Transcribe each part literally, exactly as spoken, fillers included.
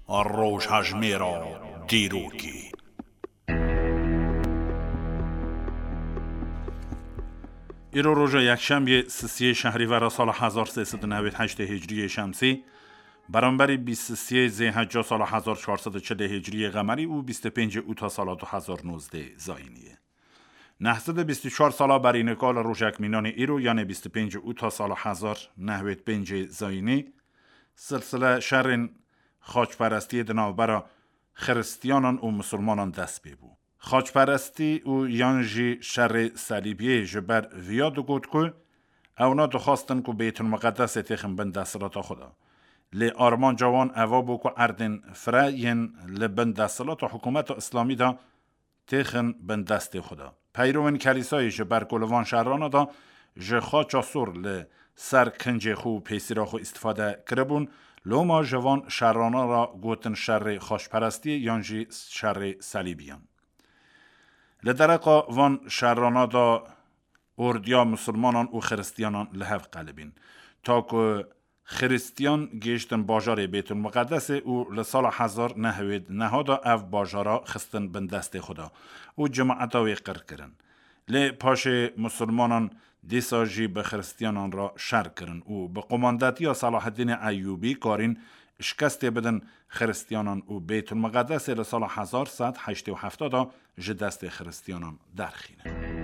Rojhejmêra dîrokê. Îro roja yekşemiyê, sisiyê şehrîvera sala hezar sê sed û newêd heştê hicriyê şemsî, beramberî bîst sisiyê zêhecca sala hezar çar sed û çilê hicriyê qemerî û bîst û pêncê ûta sala du hezar nozdeh zayînî ye. Neh sed û bîst û çar sala berî nika li rojek mînanê îro, yanê bîst û pêncê ûta sala hezar nehwêd pêncê zayînî, silsile şerên xaçperestiyê di navbera xiristiyanan û misilmanan dest pê bû. Xaçperestî û yan jî şerê selîbiyê ji ber viya digot ku ewna dixwastin ku Beytulmuqedesê têxin bin desthilata xwe de. Lê armanca wan eva bû ku erdên fire yên li bin desthilata hikûmeta Îslamî de têxin bin destê xwe de. Peyrovên Kelîsayê ji ber ku li van şerana de ji xaça sor li ser kincê xwe û pêsîra xwe îstifade kiribûn, loma ji van şerana re gotin şerê xaçperestiyê yan jî şerê selîbiyan. Li dereqa van şerana de ordiya misilmanan û xiristiyanan li hev qelibîn. Ta ku xiristiyan gihiştin bajarê Bêtulmuqedesê û li sala hezar nehwêd neha de ev bajara xistin bin destê xwe de û cemaeta wê qir kirin. Lê paşê misilmanan dîsa jî bi xiristiyanan re şer kirin û bi qomandetiya Selaheddînê Eyûbî karîn şikestê bidin xiristiyanan û Beytulmuqedesê li sala hezar sed heştê û heft de ji destê xiristiyanan derxînin.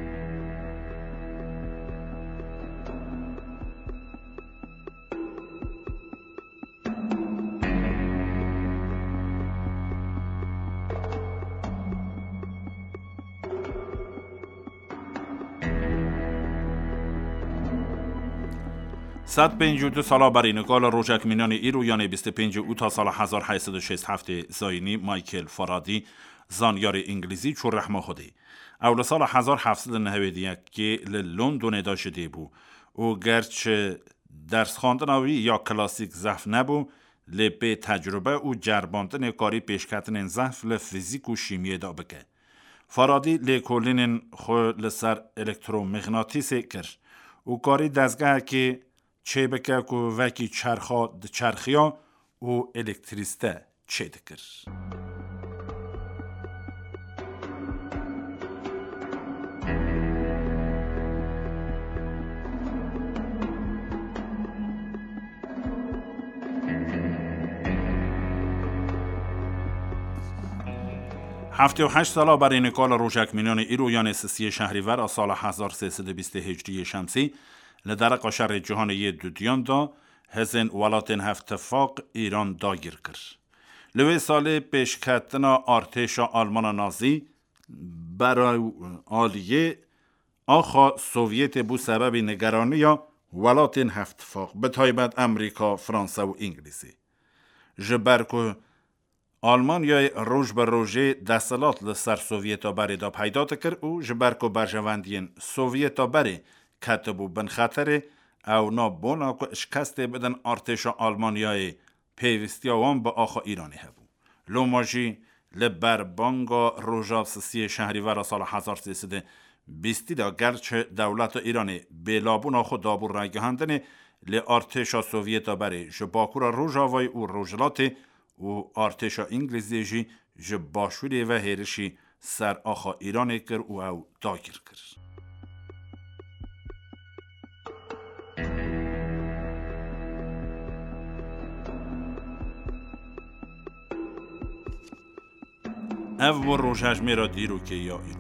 Sed pêncî û du sala berî nika li rojek mînanê îro, yanê bîst û pêncî ûta sala hezar heyt sed û şêst heftê zayînî, Michael Faraday, zanyarê îngilîzî, çû rehma Xwedê. Ew li sala hezar heft sed û nehwêd û yekê li Londonê de ji dê bû û gerçi dersxwendina wî ya klasîk zehf nebû, lê pê tecrube û ceribandinê karî pêşketinên zehf li fizîk û şîmiyê de bike. Faraday lêkolînên xwe li ser elektromîxnatîsê kir û karî dezgehekê çêbike ku wekî çerxa diçerxiya û elektrîste çêdikir. Heftê û heşt sala berê nika li rojek mînanê îro, yanê sisiyê şehrîver a sala hezar sê sed û bîstê hicriyê şemsî, li dereqa şerê cîhanê yê dudiyan de hêzên welatên Hevtifaq Îran dagîr kir. Li wê salê pêşketina artêşa Almana Nazî berew aliyê axa Sovyetê bû sebebî nigeraniya welatên Hevtifaq, bi taybet Amerîka, Fransa û Îngilîzê. Ji ber ku Almanyayê roj bi rojê desthilat li ser Sovyeta berê de peyda dikir û ji ber ku berjewendiyên Sovyeta berê ketibû bin xeterê, ewna bona ku şikestê bidin artêşa Almanyayê pêwîstiya wan bi axa Îranê hebû. Loma jî li ber banga roja sisiyê şehrîvera sala hezar sê sed û bîstî de gerçi dewleta Îranê bêlabûna xwe dabû ragihandinê, lê artêşa Sovyeta berê ji bakura Rojavayê û Rojhilatê û artêşa Îngilîzê jî ji başûrê ve hêrişî ser axa Îranê kir û ew dagîr kir. Ev bû rojhejmêra dîrokê ya îro.